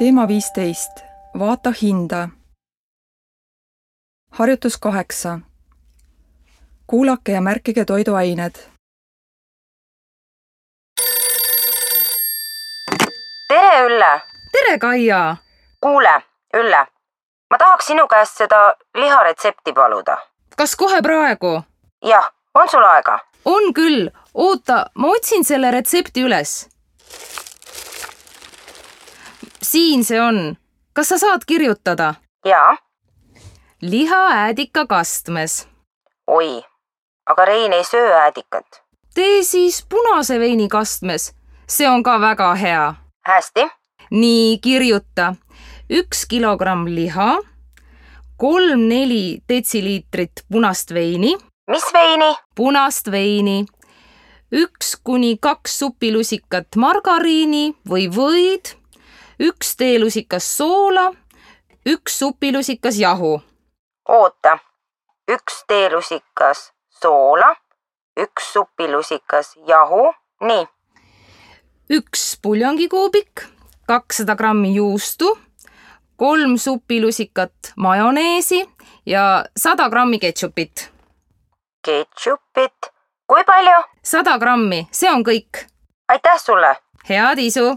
Teema 15. Vaata hinda. Harjutus 8. Kuulake ja märkige toiduained. Tere, Ülle! Tere, Kaia! Kuule, Ülle, ma tahaks sinu käest seda liharetsepti paluda. Kas kohe praegu? Jah, on sul aega? On küll. Oota, ma otsin selle retsepti üles. Siin see on. Kas sa saad kirjutada? Jaa. Liha äädika kastmes. Oi, aga Rein ei söö äädikat. Tee siis punase veini kastmes. See on ka väga hea. Hästi. Nii, kirjuta. 1 kilogramm liha, 3-4 detsiliitrit punast veini. Mis veini? Punast veini. 1-2 supilusikat margariini või võid, 1 teelusikas soola, 1 supilusikas jahu. Oota, 1 teelusikas soola, 1 supilusikas jahu, nii. 1 puljongikuubik, 200 grammi juustu, 3 supilusikat majoneesi ja 100 grammi ketšupit. Ketšupit. Kui palju? 100 grammi, see on kõik. Aitäh sulle! Head isu!